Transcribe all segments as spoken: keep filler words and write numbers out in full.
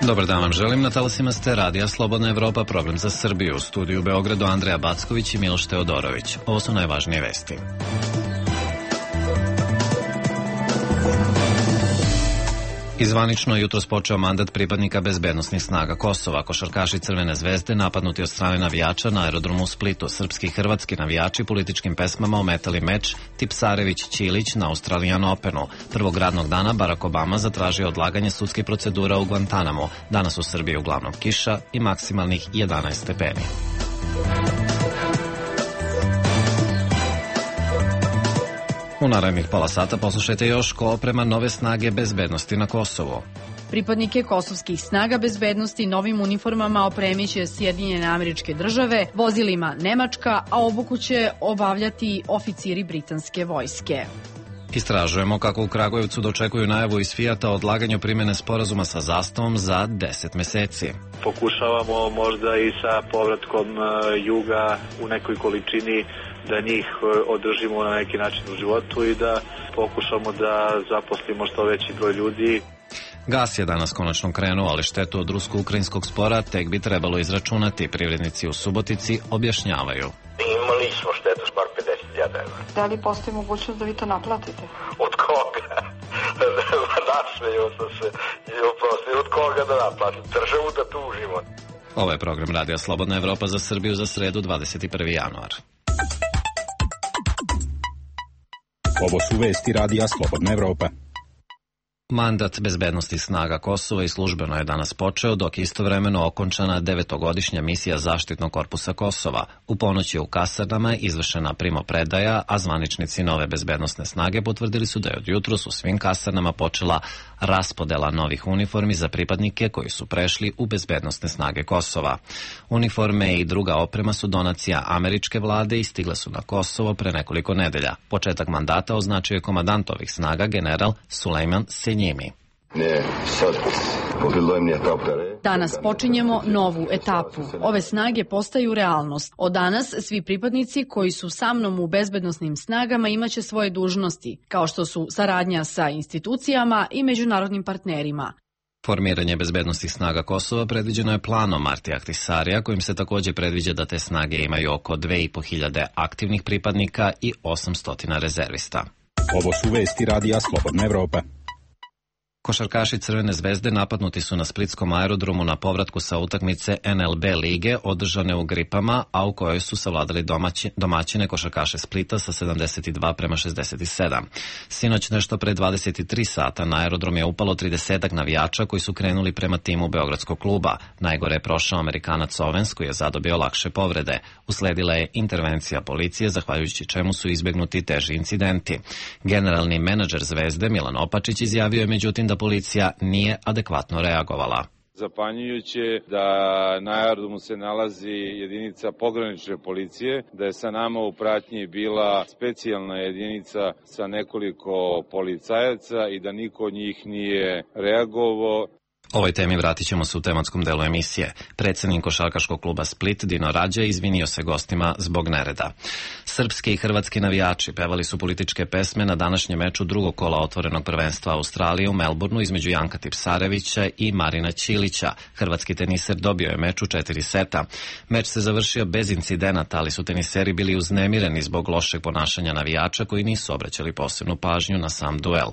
Dobar dan vam želim, na talasima ste Radija Slobodna Evropa, program za Srbiju. U studiju u Beogradu Andreja Backović i Miloš Teodorović. Ovo su najvažnije vesti. Izvanično je jutros počeo mandat pripadnika bezbednosnih snaga Kosova. Košarkaši Crvene zvezde napadnuti od strane navijača na aerodromu u Splitu. Srpski i hrvatski navijači političkim pesmama ometali meč Tipsarević-Ćilić na Australian Openu. Prvog radnog dana Barack Obama zatražio odlaganje sudskih procedura u Guantanamu. Danas u Srbiji uglavnom kiša i maksimalnih jedanaest stepeni. U narednih pola sata poslušajte još ko oprema nove snage bezbednosti na Kosovu. Pripadnike kosovskih snaga bezbednosti novim uniformama opremiće Sjedinjene Američke Države, vozilima Nemačka, a obuku će obavljati oficiri britanske vojske. Istražujemo kako u Kragujevcu dočekuju najavu iz Fijata o odlaganju primjene sporazuma sa Zastavom za deset meseci. Pokušavamo možda i sa povratkom juga u nekoj količini da njih održimo na neki način u životu i da pokušamo da zaposlimo što veći broj ljudi. Gas je danas konačno krenuo, ali štetu od rusko-ukrajinskog spora tek bi trebalo izračunati. Privrednici u Subotici objašnjavaju. Imali smo štetu s bar pedeset hiljada evra. Da li postoji mogućnost da vi to naplatite? Od koga? Nasmeju sam se i oprosti, od koga da naplatim? Državu da tužimo. Ovo je program Radija Slobodna Evropa za Srbiju za sredu dvadeset prvi januar. Ovo su vesti Radija Slobodna Evropa. Mandat bezbednosti snaga Kosova i službeno je danas počeo, dok je istovremeno okončana devetogodišnja misija zaštitnog korpusa Kosova. U ponoć je u kasarnama izvršena primopredaja, a zvaničnici nove bezbednosne snage potvrdili su da je od jutros u svim kasarnama počela raspodela novih uniformi za pripadnike koji su prešli u bezbednosne snage Kosova. Uniforme i druga oprema su donacija američke vlade i stigle su na Kosovo pre nekoliko nedelja. Početak mandata označio je komandant ovih snaga, general Sulejman Senjimi. Danas počinjemo novu etapu. Ove snage postaju realnost. Od danas svi pripadnici koji su sa mnom u bezbednosnim snagama imaće svoje dužnosti, kao što su saradnja sa institucijama i međunarodnim partnerima. Formiranje bezbednosnih snaga Kosova predviđeno je planom Martija Ahtisarija, kojim se također predviđa da te snage imaju oko dve i po hiljade aktivnih pripadnika i osamsto rezervista. Ovo su vesti Radija Slobodna Evropa. Košarkaši Crvene zvezde napadnuti su na splitskom aerodromu na povratku sa utakmice N L B lige održane u Gripama, a u kojoj su savladali domaći, domaćine košarkaše Splita sa sedamdeset dva prema šezdeset sedam. Sinoć nešto pre dvadeset tri sata na aerodrom je upalo tridesetak navijača koji su krenuli prema timu beogradskog kluba. Najgore je prošao Amerikanac Owens koji je zadobio lakše povrede. Usledila je intervencija policije, zahvaljujući čemu su izbegnuti teži incidenti. Generalni menadžer Zvezde Milan Opačić izjavio je međutim da policija nije adekvatno reagovala. Zapanjujuće da na aerodromu se nalazi jedinica pogranične policije, da je sa nama u pratnji bila specijalna jedinica sa nekoliko policajaca i da niko od njih nije reagovao. Ovoj temi vratit ćemo se u tematskom delu emisije. Predsednik košarkaškog kluba Split Dino Rađa izvinio se gostima zbog nereda. Srpski i hrvatski navijači pevali su političke pesme na današnjem meču drugog kola otvorenog prvenstva Australije u Melbourneu između Janka Tipsarevića i Marina Ćilića. Hrvatski teniser dobio je meč u četiri seta. Meč se završio bez incidenata, ali su teniseri bili uznemireni zbog lošeg ponašanja navijača koji nisu obraćali posebnu pažnju na sam duel.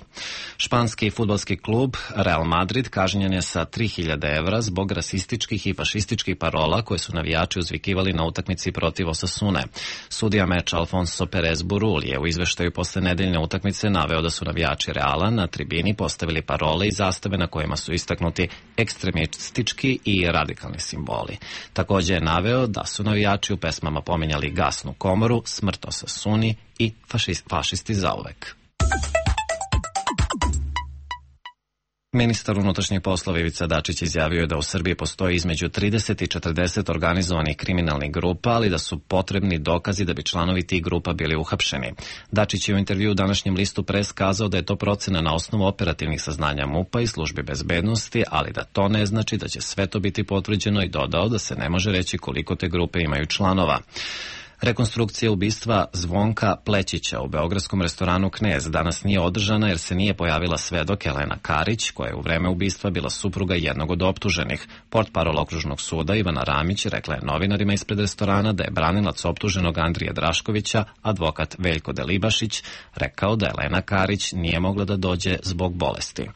Španski fudbalski klub Real Madrid kažnjen je sa tri hiljade evra zbog rasističkih i fašističkih parola koje su navijači uzvikivali na utakmici protiv Osasune. Sudija meča Alfonso Perez Burul je u izveštaju posle nedeljne utakmice naveo da su navijači Reala na tribini postavili parole i zastave na kojima su istaknuti ekstremistički i radikalni simboli. Također je naveo da su navijači u pesmama pominjali gasnu komoru, smrt Osasuni i fašist, fašisti zauvek. Ministar unutrašnjih poslova Ivica Dačić izjavio je da u Srbiji postoji između trideset i četrdeset organizovanih kriminalnih grupa, ali da su potrebni dokazi da bi članovi tih grupa bili uhapšeni. Dačić je u intervjuu u današnjem listu Pres kazao da je to procena na osnovu operativnih saznanja MUP-a i službe bezbednosti, ali da to ne znači da će sve to biti potvrđeno i dodao da se ne može reći koliko te grupe imaju članova. Rekonstrukcija ubistva Zvonka Plećića u beogradskom restoranu Knez danas nije održana jer se nije pojavila svedok Elena Karić, koja je u vreme ubistva bila supruga jednog od optuženih. Portparol okružnog suda Ivana Ramić rekla je novinarima ispred restorana da je branilac optuženog Andrije Draškovića, advokat Veljko Delibašić, rekao da Elena Karić nije mogla da dođe zbog bolesti.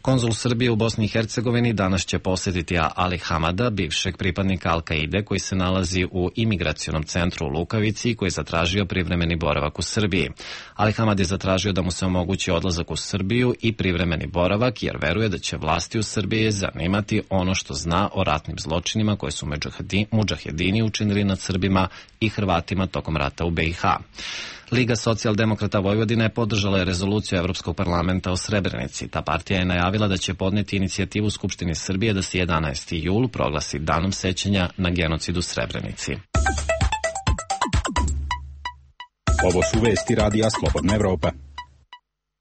Konzul Srbije u Bosni i Hercegovini danas će posjetiti Ali Hamada, bivšeg pripadnika Al-Kaide koji se nalazi u imigracionom centru u Lukavici i koji je zatražio privremeni boravak u Srbiji. Ali Hamad je zatražio da mu se omogući odlazak u Srbiju i privremeni boravak jer veruje da će vlasti u Srbiji zanimati ono što zna o ratnim zločinima koje su mudžahedini učinili nad Srbima i Hrvatima tokom rata u be i ha. Liga socijaldemokrata Vojvodine podržala je rezoluciju Evropskog parlamenta o Srebrenici. Ta partija je najavila da će podneti inicijativu Skupštini Srbije da se jedanaesti jul proglasi danom sećanja na genocid u Srebrenici. Ovo su vesti radija Slobodna Evropa.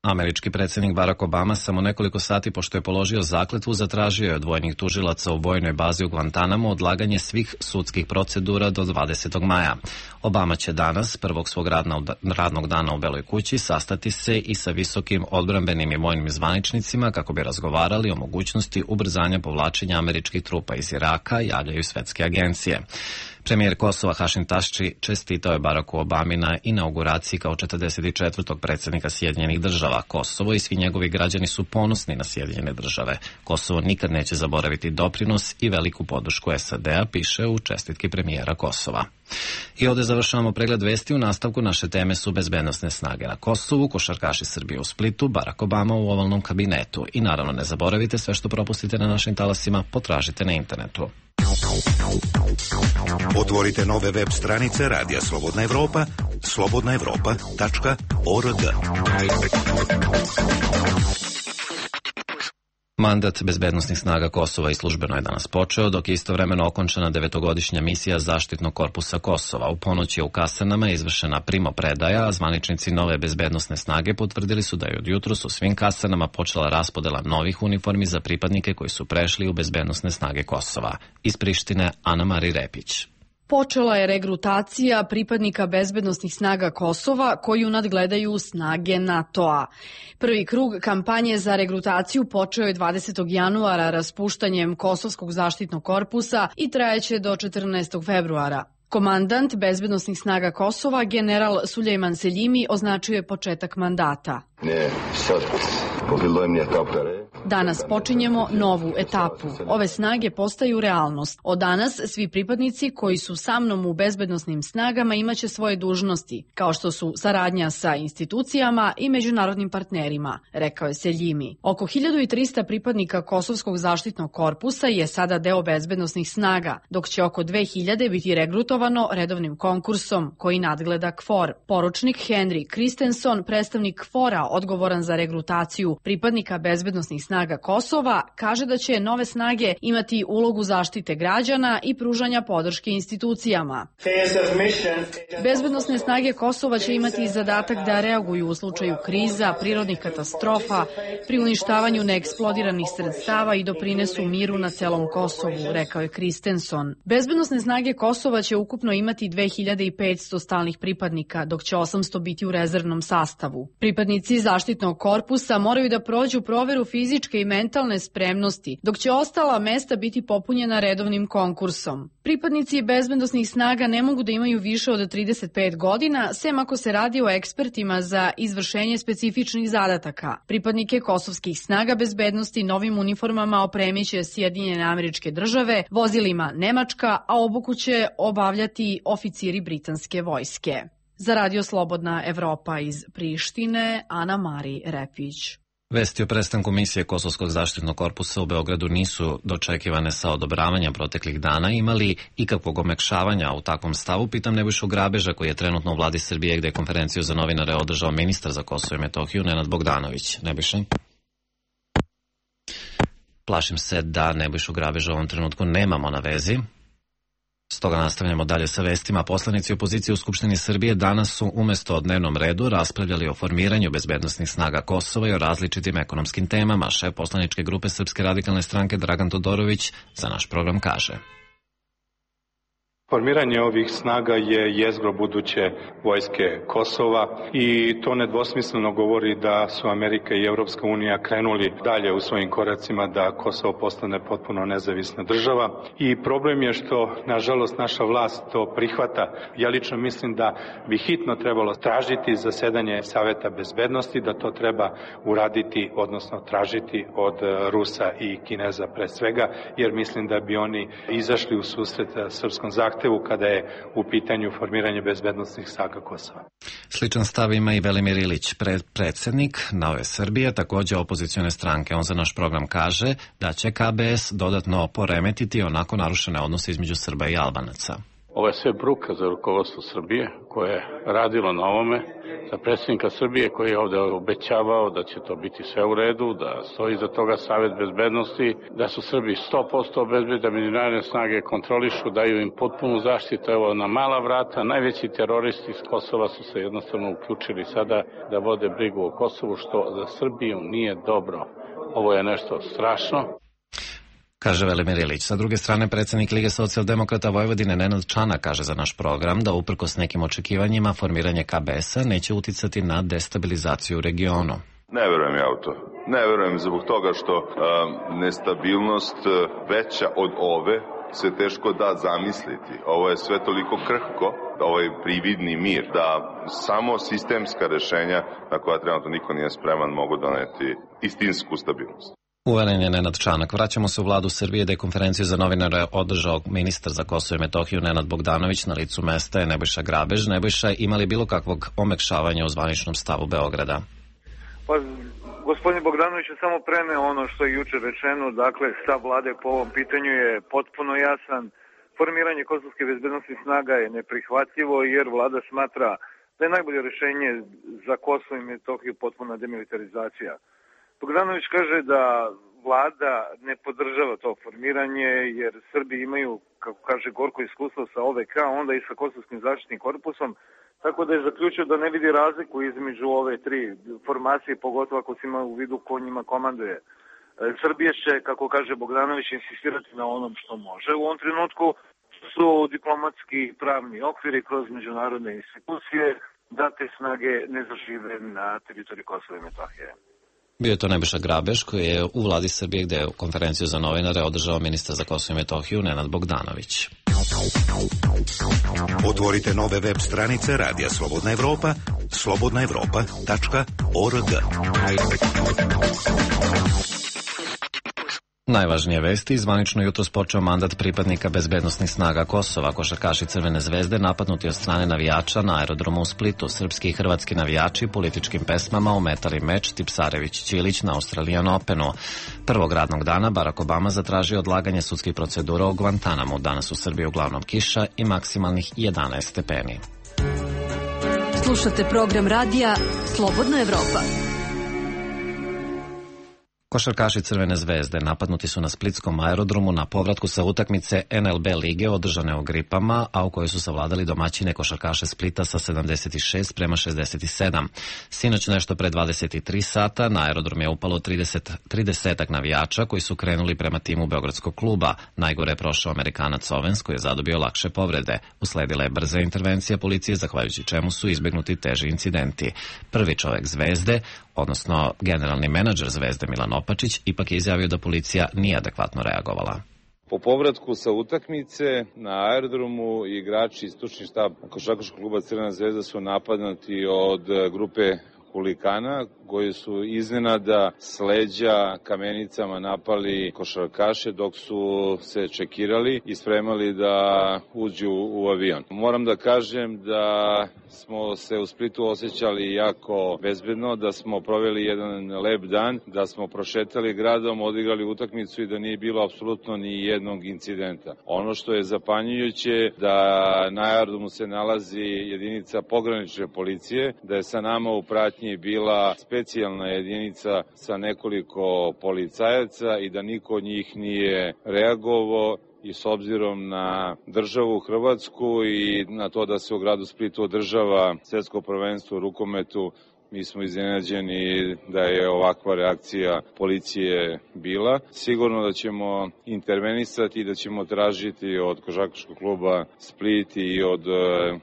Američki predsjednik Barack Obama samo nekoliko sati pošto je položio zakletvu zatražio je od vojnih tužilaca u vojnoj bazi u Guantanamo odlaganje svih sudskih procedura do dvadesetog maja. Obama će danas, prvog svog radnog dana u Beloj kući, sastati se i sa visokim odbrambenim i vojnim zvaničnicima kako bi razgovarali o mogućnosti ubrzanja povlačenja američkih trupa iz Iraka, javljaju svetske agencije. Premijer Kosova Hašim Tašči čestitao je Baracku Obami na inauguraciji kao četrdeset četvrtog predsjednika Sjedinjenih država. Kosovo i svi njegovi građani su ponosni na Sjedinjene države. Kosovo nikad neće zaboraviti doprinos i veliku podršku es a de a, piše u čestitki premijera Kosova. I ovdje završavamo pregled vesti. U nastavku naše teme su bezbednosne snage na Kosovu, košarkaši Srbije u Splitu, Barack Obama u ovalnom kabinetu. I naravno ne zaboravite, sve što propustite na našim talasima potražite na internetu. Otvorite nove web stranice Radija Slobodna Evropa, slobodna evropa tačka org. Mandat bezbednosnih snaga Kosova i službeno je danas počeo, dok je istovremeno okončana devetogodišnja misija Zaštitnog korpusa Kosova. U ponoć je u kasarnama izvršena primopredaja, a zvaničnici nove bezbednosne snage potvrdili su da je od jutros u svim kasarnama počela raspodela novih uniformi za pripadnike koji su prešli u bezbednosne snage Kosova. Iz Prištine, Ana Mari Repić. Počela je regrutacija pripadnika bezbednosnih snaga Kosova koju nadgledaju snage NATO-a. Prvi krug kampanje za regrutaciju počeo je dvadesetog januara raspuštanjem Kosovskog zaštitnog korpusa i trajeće do četrnaestog februara. Komandant bezbednosnih snaga Kosova, general Sulejman Seljimi, označio je početak mandata. Danas počinjemo novu etapu. Ove snage postaju realnost. Od danas svi pripadnici koji su sa mnom u bezbednosnim snagama imaće svoje dužnosti, kao što su saradnja sa institucijama i međunarodnim partnerima, rekao je Seljimi. Oko hiljadu trista pripadnika Kosovskog zaštitnog korpusa je sada deo bezbednosnih snaga, dok će oko dve hiljade biti regrutovano redovnim konkursom koji nadgleda K F O R. Poručnik Henry Kristenson, predstavnik K F O R-a odgovoran za regrutaciju pripadnika bezbednosnih snaga Kosova, kaže da će nove snage imati ulogu zaštite građana i pružanja podrške institucijama. Bezbednosne snage Kosova će imati zadatak da reaguju u slučaju kriza, prirodnih katastrofa, pri uništavanju neeksplodiranih sredstava i doprinesu miru na celom Kosovu, rekao je Kristenson. Bezbednosne snage Kosova će ukupno imati dve hiljade petsto stalnih pripadnika, dok će osamsto biti u rezervnom sastavu. Pripadnici zaštitnog korpusa moraju da prođu proveru fizičke i mentalne spremnosti, dok će ostala mesta biti popunjena redovnim konkursom. Pripadnici bezbednosnih snaga ne mogu da imaju više od trideset pet godina, sem ako se radi o ekspertima za izvršenje specifičnih zadataka. Pripadnike kosovskih snaga bezbednosti novim uniformama opremiće Sjedinjene Američke Države, vozilima Nemačka, a obuku će obavljati oficiri britanske vojske. Za Radio Slobodna Evropa iz Prištine, Ana Mari Repić. Vesti o prestanku misije Kosovskog zaštitnog korpusa u Beogradu nisu dočekivane sa odobravanjem proteklih dana. Imali ikakvog omekšavanja u takvom stavu? Pitam Nebojšu Grabeža, koji je trenutno u vladi Srbije, gde je konferenciju za novinare održao ministar za Kosovo i Metohiju Nenad Bogdanović. Nebojša? Plašim se da Nebojšu Grabeža u ovom trenutku nemamo na vezi. Stoga nastavljamo dalje sa vestima. Poslanici opozicije u Skupštini Srbije danas su umesto o dnevnom redu raspravljali o formiranju bezbednosnih snaga Kosova i o različitim ekonomskim temama. Šef poslaničke grupe Srpske radikalne stranke Dragan Todorović za naš program kaže: Formiranje ovih snaga je jezgro buduće vojske Kosova i to nedvosmisleno govori da su Amerika i Evropska unija krenuli dalje u svojim koracima da Kosovo postane potpuno nezavisna država i problem je što, nažalost, naša vlast to prihvata. Ja lično mislim da bi hitno trebalo tražiti zasedanje Saveta bezbednosti, da to treba uraditi, odnosno tražiti od Rusa i Kineza pre svega, jer mislim da bi oni izašli u susret srpskom zahtevu kada je u pitanju formiranje bezbednosnih snaga Kosova. Sličan stav ima i Velimir Ilić, pred, predsjednik Nove Srbije, također opozicione stranke. On za naš program kaže da će K B S dodatno poremetiti onako narušene odnose između Srba i Albanaca. Ovo je sve bruka za rukovodstvo Srbije koje je radilo na ovome, za predsjednika Srbije koji je ovde obećavao da će to biti sve u redu, da stoji iza toga Savet bezbednosti, da su Srbi sto posto obezbedni, da međunarodne snage kontrolišu, daju im potpunu zaštitu. Evo na mala vrata, najveći teroristi iz Kosova su se jednostavno uključili sada da vode brigu o Kosovu, što za Srbiju nije dobro. Ovo je nešto strašno. Kaže Velimir Ilić. Sa druge strane, predsjednik Lige socijaldemokrata Vojvodine Nenad Čanak kaže za naš program da uprkos nekim očekivanjima formiranje K B S-a neće uticati na destabilizaciju u regionu. Ne verujem ja u to. Ne verujem zbog toga što um, nestabilnost veća od ove se teško da zamisliti. Ovo je sve toliko krhko, ovaj prividni mir, da samo sistemska rešenja na koja trenutno niko nije spreman mogu doneti istinsku stabilnost. Uveren je Nenad Čanak. Vraćamo se u vladu Srbije da je konferenciju za novinare održao ministar za Kosovo i Metohiju Nenad Bogdanović, na licu mesta je Nebojša Grabež. Nebojša, ima li bilo kakvog omekšavanja u zvaničnom stavu Beograda? Pa, gospodin Bogdanović je samo preneo ono što je juče rečeno, dakle stav vlade po ovom pitanju je potpuno jasan. Formiranje kosovske bezbednosnih snaga je neprihvatljivo jer vlada smatra da je najbolje rešenje za Kosovo i Metohiju potpuna demilitarizacija. Bogdanović kaže da vlada ne podržava to formiranje jer Srbi imaju, kako kaže, gorko iskustvo sa O V K, onda i sa Kosovskim zaštitnim korpusom, tako da je zaključio da ne vidi razliku između ove tri formacije, pogotovo ako se ima u vidu ko njima komanduje. Srbija će, kako kaže Bogdanović, insistirati na onom što može. U ovom trenutku su diplomatski pravni okviri kroz međunarodne institucije da te snage ne zažive na teritoriji Kosova i Metohije. Bio je to Nebojša Grabež koji je u vladi Srbije gde je konferenciju za novinare održao ministar za Kosovo i Metohiju Nenad Bogdanović. Otvorite nove web stranice Radija Slobodna Evropa, slobodna evropa tačka org. Najvažnije vesti, zvanično jutros počeo mandat pripadnika bezbednosnih snaga Kosova. Košarkaši Crvene zvezde napadnuti od strane navijača na aerodromu u Splitu. Srpski i hrvatski navijači političkim pesmama ometali meč Tipsarević-Ćilić na Australian Openu. Prvog radnog dana Barack Obama zatražio odlaganje sudskih procedura u Guantanamu. Danas u Srbiji uglavnom kiša i maksimalnih jedanaest stepeni. Slušate program radija Slobodna Evropa. Košarkaši Crvene zvezde napadnuti su na splitskom aerodromu na povratku sa utakmice N L B lige održane u Gripama, a u kojoj su savladali domaćine košarkaše Splita sa sedamdeset šest prema šezdeset sedam. Sinoć nešto pre dvadeset tri sata na aerodrom je upalo trideset, tridesetak navijača koji su krenuli prema timu Beogradskog kluba. Najgore je prošao Amerikanac Ovens koji je zadobio lakše povrede. Usledila je brza intervencija policije, zahvaljujući čemu su izbegnuti teži incidenti. Prvi čovek Zvezde, odnosno generalni menadžer Zvezde Milan Opačić, ipak je izjavio da policija nije adekvatno reagovala. Po povratku sa utakmice na aerodromu igrači i stručni štab košarkaškog kluba Crvena zvezda su napadnuti od grupe huligana koji su iznenada s leđa kamenicama napali košarkaše dok su se čekirali i spremali da uđu u avion. Moram da kažem da smo se u Splitu osjećali jako bezbedno, da smo proveli jedan lep dan, da smo prošetali gradom, odigrali utakmicu i da nije bilo apsolutno ni jednog incidenta. Ono što je zapanjujuće da na aerodromu se nalazi jedinica pogranične policije, da je sa nama u pratnji bila specijalna jedinica sa nekoliko policajaca i da niko od njih nije reagovao. I s obzirom na državu Hrvatsku i na to da se u gradu Splitu održava svetsko prvenstvo u rukometu, Mi smo iznenađeni da je ovakva reakcija policije bila. Sigurno da ćemo intervenisati i da ćemo tražiti od košarkaškog kluba Split i od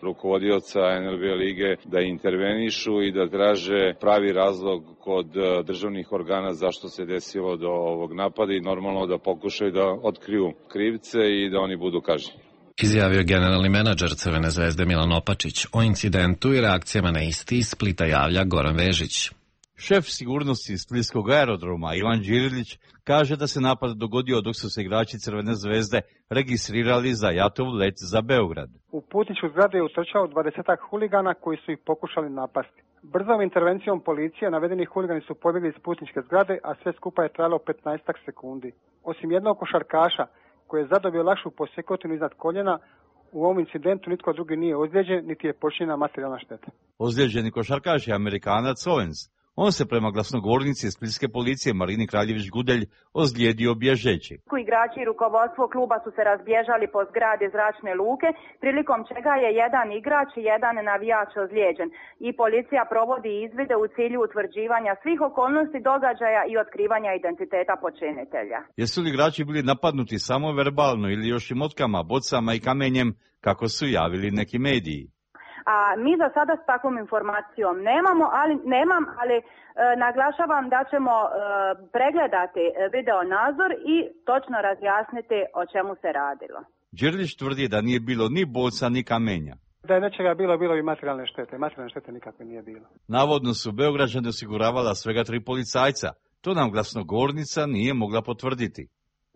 rukovodioca en el be lige da intervenišu i da traže pravi razlog kod državnih organa zašto se desilo do ovog napada i normalno da pokušaju da otkriju krivce i da oni budu kažnjeni. Izjavio generalni menadžer Crvene zvezde Milan Opačić. O incidentu i reakcijama na isti iz Splita javlja Goran Vežić. Šef sigurnosti Splitskog aerodroma Ivan Đirilić kaže da se napad dogodio dok su se igrači Crvene zvezde registrirali za jatov let za Beograd. U putničku zgradu je utrčao dvadesetak huligana koji su ih pokušali napasti. Brzom intervencijom policije navedeni huligani su pobjegli iz putničke zgrade, a sve skupa je trajalo petnaestak sekundi. Osim jednog košarkaša koji je zadobio lakšu posekotinu iznad koljena, u ovom incidentu nitko drugi nije ozlijeđen, niti je počinjena materijalna šteta. Ozlijeđeni košarkaš je Amerikanac Owens. On se prema glasnogovornici splitske policije Marini Kraljević-Gudelj ozlijedio bježeći. Igrači i rukovodstvo kluba su se razbježali po zgradi zračne luke, prilikom čega je jedan igrač i jedan navijač ozlijeđen. I policija provodi izvide u cilju utvrđivanja svih okolnosti događaja i otkrivanja identiteta počinitelja. Jesu li igrači bili napadnuti samo verbalno ili još i motkama, bocama i kamenjem, kako su javili neki mediji? A mi za sada s takvom informacijom nemamo, ali nemam, ali e, naglašavam da ćemo e, pregledati video nadzor i točno razjasniti o čemu se radilo. Đirlić tvrdi da nije bilo ni boca ni kamenja. Da je nečega bilo, bilo i materijalne štete. Materijalne štete nikakve nije bilo. Navodno su Beograđani osiguravala svega tri policajca. To nam glasnogovornica nije mogla potvrditi.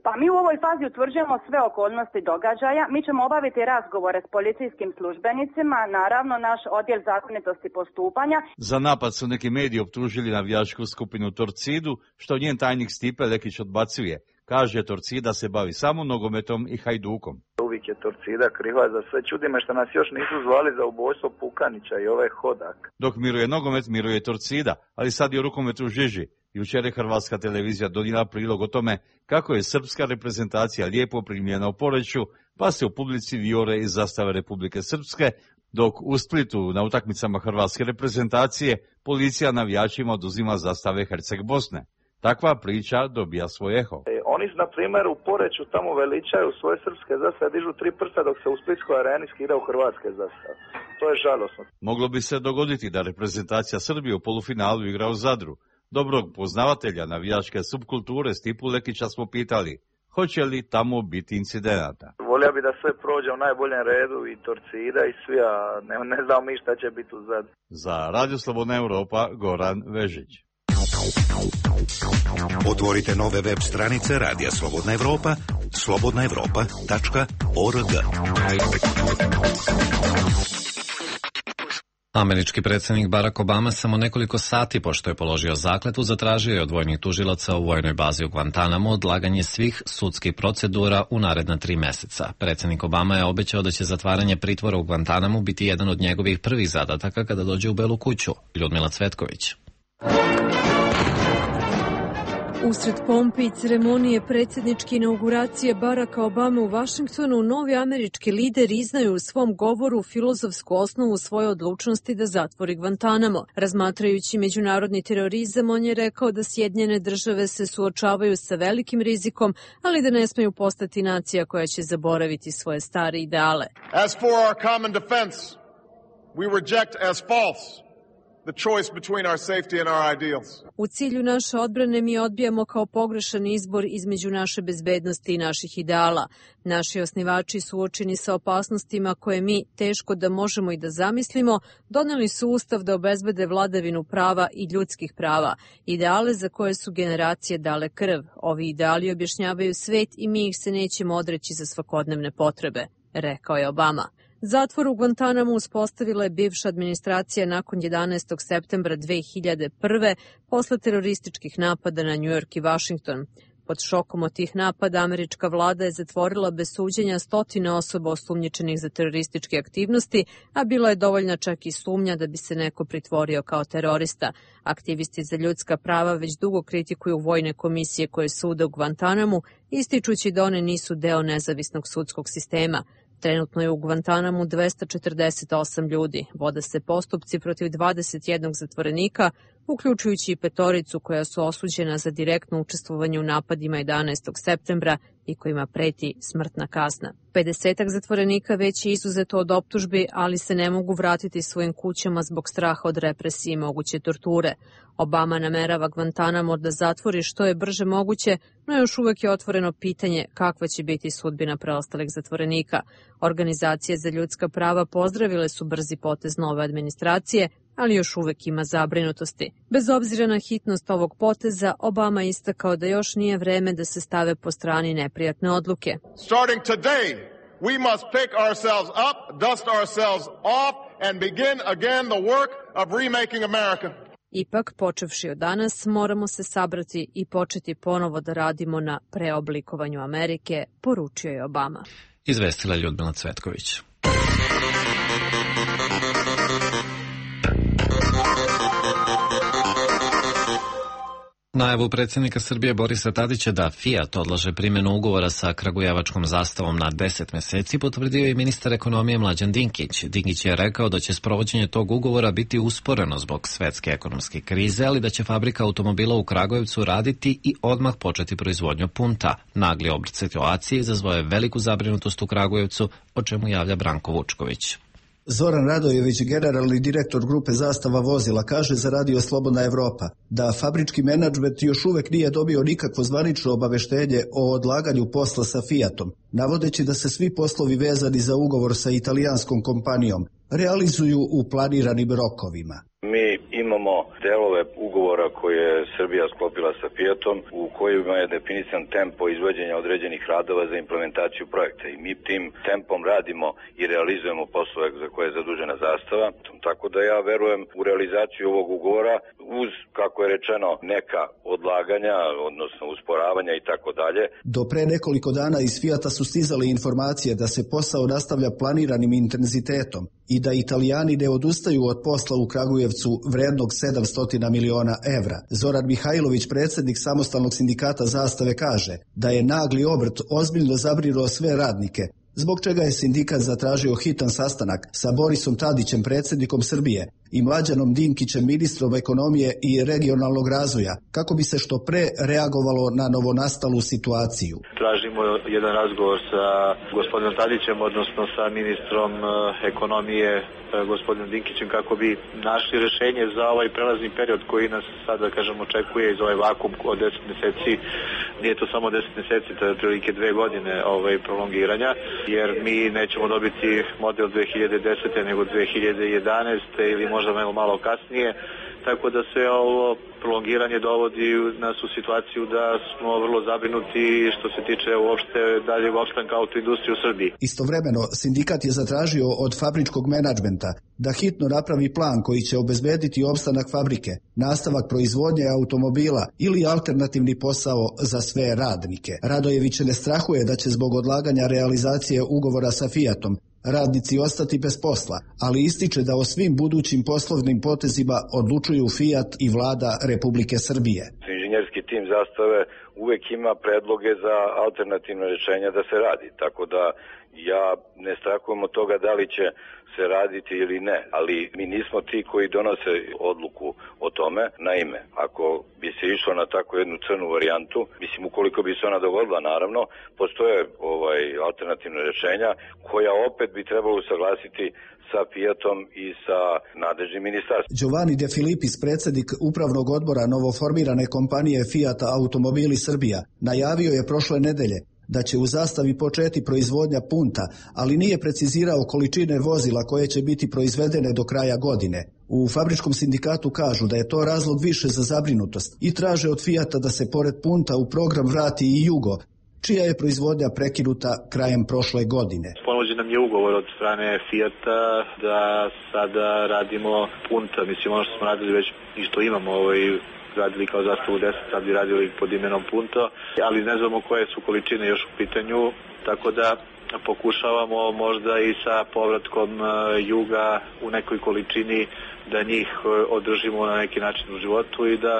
Pa mi u ovoj fazi utvrđujemo sve okolnosti događaja. Mi ćemo obaviti razgovore s policijskim službenicima, naravno naš odjel zakonitosti postupanja. Za napad su neki mediji optužili navijačku skupinu Torcidu, što njen tajnik Stipe Lekić odbacuje. Kaže, Torcida se bavi samo nogometom i Hajdukom. Uvijek je Torcida kriva za sve. Čudi me što nas još nisu zvali za ubojstvo Pukanića i ovaj Hodak. Dok miruje nogomet, miruje Torcida, ali sad je u rukometu žiži. Jučer je Hrvatska televizija donijela prilog o tome kako je srpska reprezentacija lijepo primljena u Poreču, pa se u publici vijore iz zastave Republike Srpske, dok u Splitu na utakmicama hrvatske reprezentacije policija navijačima oduzima zastave Herceg Bosne. Takva priča dobija svoj eho. E, oni na primjer u Poreču tamo veličaju svoje srpske zastave, dižu tri prsta dok se u Splitskoj areni skidaju hrvatske zastave. To je žalosno. Moglo bi se dogoditi da reprezentacija Srbije u polufinalu igra u Zadru. Dobrog poznavatelja navijačke subkulture Stipu Lekića smo pitali, hoće li tamo biti incidenata. Volio bi da sve prođe u najboljem redu i Torcida i svi, a ne, ne znam mi šta će biti u Zadru. Za Radio Slobodna Evropa, Goran Vežić. Otvorite nove web stranice Radija Slobodna Evropa, slobodna evropa tačka org. Američki predsjednik Barack Obama samo nekoliko sati pošto je položio zakletvu zatražio je od vojnih tužilaca u vojnoj bazi u Guantanamu odlaganje svih sudskih procedura u naredna tri meseca. Predsjednik Obama je obećao da će zatvaranje pritvora u Guantanamu biti jedan od njegovih prvih zadataka kada dođe u Belu kuću. Ljudmila Cvetković. Usred pompe i ceremonije predsjedničke inauguracije Baracka Obame u Vašingtonu, novi američki lider iznaju u svom govoru filozofsku osnovu svoje odlučnosti da zatvori Guantanamo. Razmatrajući međunarodni terorizam, on je rekao da Sjedinjene države se suočavaju sa velikim rizikom, ali da ne smeju postati nacija koja će zaboraviti svoje stare ideale. As for our common defense, we reject as false the choice between our safety and our ideals. U cilju naše odbrane mi odbijamo kao pogrešan izbor između naše bezbednosti i naših ideala. Naši osnivači suočeni sa opasnostima koje mi, teško da možemo i da zamislimo, doneli su ustav da obezbede vladavinu prava i ljudskih prava, ideale za koje su generacije dale krv. Ovi ideali objašnjavaju svet i mi ih se nećemo odreći za svakodnevne potrebe, rekao je Obama. Zatvor u Guantanamu uspostavila je bivša administracija nakon jedanaestog septembra dve hiljade prve. posle terorističkih napada na New York i Washington. Pod šokom od tih napada američka vlada je zatvorila bez suđenja stotine osoba osumnjičenih za terorističke aktivnosti, a bila je dovoljna čak i sumnja da bi se neko pritvorio kao terorista. Aktivisti za ljudska prava već dugo kritikuju vojne komisije koje sude u Guantanamu, ističući da one nisu deo nezavisnog sudskog sistema. Trenutno je u Guantanamu dvesta četrdeset osam ljudi. Vode se postupci protiv dvadeset jednog zatvorenika, uključujući i petoricu koja su osuđena za direktno učestvovanje u napadima jedanaestog septembra i kojima preti smrtna kazna. pedesetak zatvorenika već je izuzeto od optužbi, ali se ne mogu vratiti svojim kućama zbog straha od represije i moguće torture. Obama namerava Guantanamo da zatvori što je brže moguće, no još uvek je otvoreno pitanje kakva će biti sudbina preostalih zatvorenika. Organizacije za ljudska prava pozdravile su brzi potez nove administracije, ali još uvek ima zabrinutosti. Bez obzira na hitnost ovog poteza, Obama je istakao da još nije vreme da se stave po strani neprijatne odluke. Starting today, we must pick ourselves up, dust ourselves off and begin again the work of remaking America. Ipak, počevši od danas, moramo se sabrati i početi ponovo da radimo na preoblikovanju Amerike, poručio je Obama. Izvestila Ljudmila Cvetković. Najavu predsjednika Srbije Borisa Tadića da Fiat odlaže primjenu ugovora sa kragujevačkom zastavom na deset meseci potvrdio je ministar ekonomije Mlađan Dinkić. Dinkić je rekao da će sprovođenje tog ugovora biti usporeno zbog svetske ekonomske krize, ali da će fabrika automobila u Kragujevcu raditi i odmah početi proizvodnju punta. Nagli obrt situacije izazvao je veliku zabrinutost u Kragujevcu, o čemu javlja Branko Vučković. Zoran Radojević, generalni direktor grupe Zastava vozila, kaže za Radio Slobodna Evropa da fabrički menadžment još uvek nije dobio nikakvo zvanično obaveštenje o odlaganju posla sa Fiatom, navodeći da se svi poslovi vezani za ugovor sa italijanskom kompanijom realizuju u planiranim rokovima. Mi imamo delove ugovora koje je Srbija sklopila sa Fiatom u kojima je definisan tempo izvođenja određenih radova za implementaciju projekta i mi tim tempom radimo i realizujemo poslove za koje je zadužena zastava, tako da ja verujem u realizaciju ovog ugovora uz, kako je rečeno, neka odlaganja, odnosno usporavanja i tako dalje. Do pre nekoliko dana iz Fiata su stizale informacije da se posao nastavlja planiranim intenzitetom i da Italijani ne odustaju od posla u Kragujevcu vrednog sedamsto miliona evra. Zoran Mihajlović, predsjednik samostalnog sindikata Zastave, kaže da je nagli obrt ozbiljno zabrinuo sve radnike, zbog čega je sindikat zatražio hitan sastanak sa Borisom Tadićem, predsjednikom Srbije, i Mlađanom Dinkićem, ministrom ekonomije i regionalnog razvoja, kako bi se što pre reagovalo na novonastalu situaciju. Tražimo jedan razgovor sa gospodinom Tadićem, odnosno sa ministrom ekonomije gospodinom Dinkićem, kako bi našli rešenje za ovaj prelazni period koji nas sada, kažem, očekuje iz ovaj vakum od deset meseci. Nije to samo deset meseci, to je otprilike dve godine ovaj prolongiranja, jer mi nećemo dobiti model dve hiljade desete nego dve hiljade jedanaeste ili možda malo, malo kasnije, tako da se ovo prolongiranje dovodi nas u situaciju da smo vrlo zabrinuti što se tiče uopšte daljeg opstanka autoindustrije u Srbiji. Istovremeno, sindikat je zatražio od fabričkog menadžmenta da hitno napravi plan koji će obezbediti opstanak fabrike, nastavak proizvodnje automobila ili alternativni posao za sve radnike. Radojević ne strahuje da će zbog odlaganja realizacije ugovora sa Fiatom radnici ostati bez posla, ali ističe da o svim budućim poslovnim potezima odlučuju Fiat i vlada Republike Srbije. Inženjerski tim Zastave uvek ima predloge za alternativne rješenja da se radi, tako da ja ne strahujem od toga da li će se raditi ili ne, ali mi nismo ti koji donose odluku o tome. Naime, ako bi se išlo na tako jednu crnu varijantu, mislim, ukoliko bi se ona dogodila, naravno, postoje ovaj alternativna rješenja koja opet bi trebalo usaglasiti sa Fiatom i sa nadležnim ministarstvom. Giovanni De Filipis, predsjednik upravnog odbora novoformirane kompanije Fiat Automobili Srbija, najavio je prošle nedelje da će u Zastavi početi proizvodnja punta, ali nije precizirao količine vozila koje će biti proizvedene do kraja godine. U fabričkom sindikatu kažu da je to razlog više za zabrinutost i traže od Fiata da se pored punta u program vrati i Jugo, čija je proizvodnja prekinuta krajem prošle godine. Ponuđen nam je ugovor od strane Fiata da sada radimo punta, mislim ono što smo radili već i što imamo ovaj radili kao Zastavu deset, sad bi radili pod imenom Punto, ali ne znamo koje su količine još u pitanju, tako da pokušavamo možda i sa povratkom Juga u nekoj količini da njih održimo na neki način u životu i da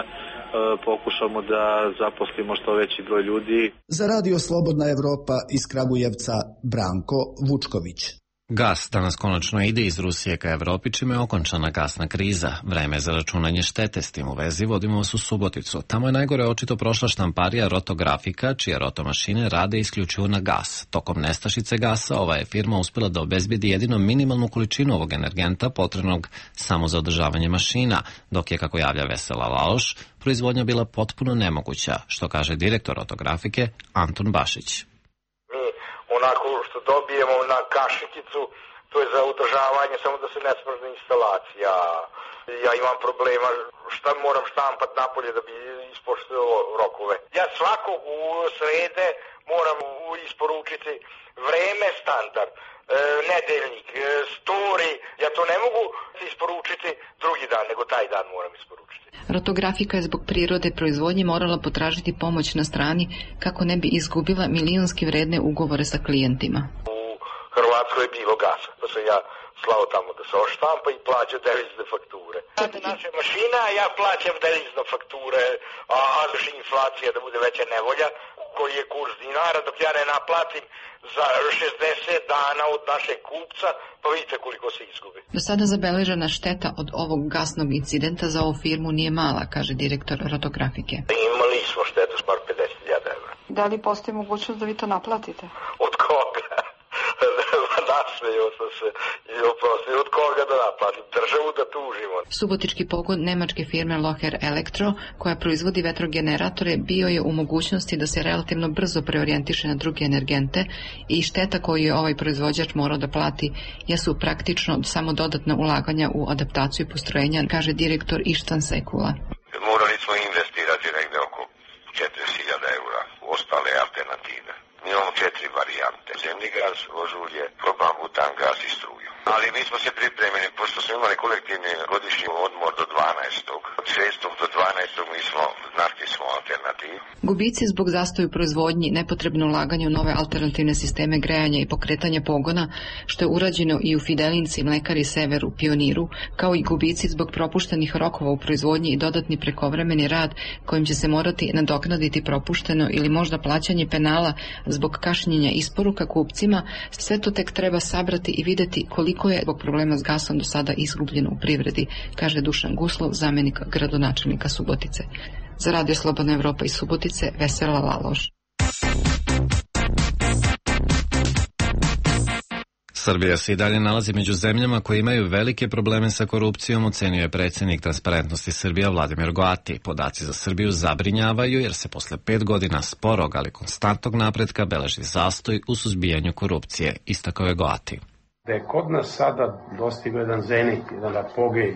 pokušamo da zaposlimo što veći broj ljudi. Za Radio Slobodna Evropa iz Kragujevca Branko Vučković. Gas danas konačno ide iz Rusije ka Evropi, čime je okončana gasna kriza. Vreme za računanje štete s tim u vezi vodimo vas u Suboticu. Tamo je najgore očito prošla štamparija Rotografika, čije rotomašine rade isključivo na gas. Tokom nestašice gasa ova je firma uspela da obezbedi jedino minimalnu količinu ovog energenta potrebnog samo za održavanje mašina, dok je, kako javlja Vesela Laloš, proizvodnja bila potpuno nemoguća, što kaže direktor Rotografike Anton Bašić. Onako što dobijemo na kašikicu, to je za održavanje, samo da se ne smrzne instalacija. Ja imam problema šta moram štampat napolje da bi ispoštovao rokove. Ja svakog u srede moram isporučiti vreme standard, e, nedeljnik, e, story. Ja to ne mogu isporučiti drugi dan, nego taj dan moram isporučiti. Rotografika je zbog prirode proizvodnje morala potražiti pomoć na strani kako ne bi izgubila milionski vredne ugovore sa klijentima. U Hrvatskoj je bilo gasa, pa sam ja slao tamo da se oštampa i plaća devizne fakture. Sada naša mašina, ja plaćam devizne fakture, a još inflacija da bude veća nevolja, koji je kurs dinara, dok ja ne naplatim za šezdeset dana od našeg kupca, pa vidite koliko se izgubi. Do sada zabeležena šteta od ovog gasnog incidenta za ovu firmu nije mala, kaže direktor Rotografike. Imali smo štetu smar pedeset hiljada evra. Da li postoji mogućnost da vi to naplatite? Od koga? Nasmejao sam se i oprosti, od koga da naplatim? Državu da tužimo. Subotički pogon nemačke firme Loher Elektro, koja proizvodi vetrogeneratore, bio je u mogućnosti da se relativno brzo preorijentiše na druge energente i šteta koju je ovaj proizvođač morao da plati jesu praktično samo dodatna ulaganja u adaptaciju postrojenja, kaže direktor Ištan Sekula. Morali smo investirati negde oko četrdeset hiljada eura u ostale alternative. Mi imamo četiri varijante. Zemni gas, vožulje, propan butan gas i struju. Ali mi smo se pripremili, pošto smo imali kolektivni godišnji odmor do dvanaestog Od šestog do dvanaestog mi smo, našli smo alternativu. Gubici zbog zastoju proizvodnji, nepotrebno ulaganje u nove alternativne sisteme grejanja i pokretanja pogona, što je urađeno i u Fidelinci, Mlekari Severu, Pioniru, kao i gubici zbog propuštenih rokova u proizvodnji i dodatni prekovremeni rad kojim će se morati nadoknaditi propušteno ili možda plaćanje penala zbog kašnjenja isporuka kupcima, sve to tek treba sabrati i videti koliko je zbog problema s gasom do sada izgubljeno u privredi, kaže Dušan Guslov, zamjenik gradonačelnika Subotice. Za Radio Slobodna Evropa iz Subotice, Vesela Laloš. Srbija se i dalje nalazi među zemljama koje imaju velike probleme sa korupcijom, ocenio je predsjednik Transparentnosti Srbija Vladimir Goati. Podaci za Srbiju zabrinjavaju jer se posle pet godina sporog, ali konstantnog napretka beleži zastoj u suzbijanju korupcije, istakao je Goati. Da je kod nas sada dostigao jedan zenit, jedan apogej,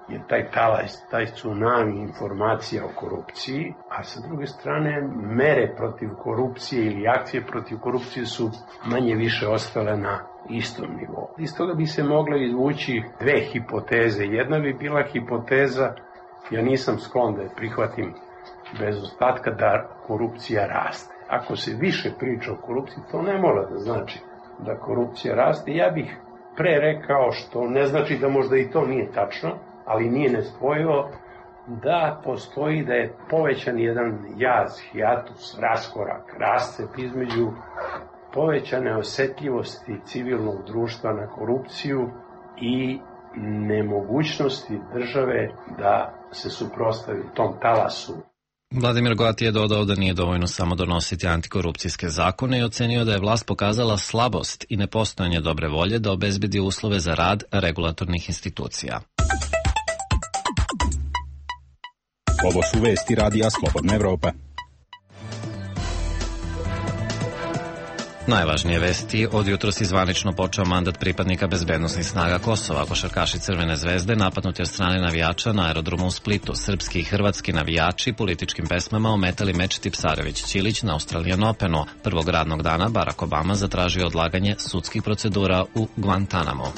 je taj talaj, taj tsunami informacija o korupciji, a sa druge strane mere protiv korupcije ili akcije protiv korupcije su manje više ostale na istom nivou. Iz toga bi se mogle izvući dve hipoteze. Jedna bi bila hipoteza, ja nisam sklon da je prihvatim bez ostatka, da korupcija raste. Ako se više priča o korupciji, to ne mora da znači da korupcija raste. Ja bih pre rekao, što ne znači da možda i to nije tačno, ali nije nespojivo, da postoji da je povećan jedan jaz, hijatus, raskorak, rascep između povećane osetljivosti civilnog društva na korupciju i nemogućnosti države da se suprotstavi tom talasu. Vladimir Goati je dodao da nije dovoljno samo donositi antikorupcijske zakone i ocenio da je vlast pokazala slabost i nepostojanje dobre volje da obezbedi uslove za rad regulatornih institucija. Ovo su vesti Radija Slobodna Evropa. Najvažnije vesti, od jutros je zvanično počeo mandat pripadnika bezbednosnih snaga Kosova. Košarkaši Crvene zvezde napadnuti od strane navijača na aerodromu u Splitu. Srpski i hrvatski navijači političkim pesmama ometali meč Tipsarević-Ćilić na Australian Openu. Prvog radnog dana Barack Obama zatražio odlaganje sudskih procedura u Guantanamo.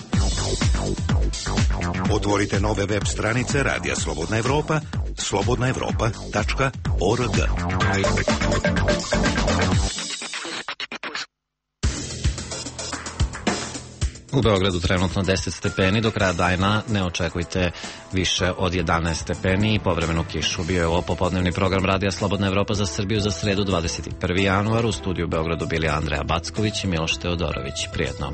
Otvorite nove web stranice Radija Slobodna Evropa, slobodna evropa tačka org. U Beogradu trenutno deset stepeni, do kraja dana ne očekujte više od jedanaest stepeni i povremenu kišu. Bio je ovo popodnevni program Radija Slobodna Evropa za Srbiju za sredu dvadeset prvi januar. U studiju u Beogradu bili Andreja Backović i Miloš Teodorović. Prijetno.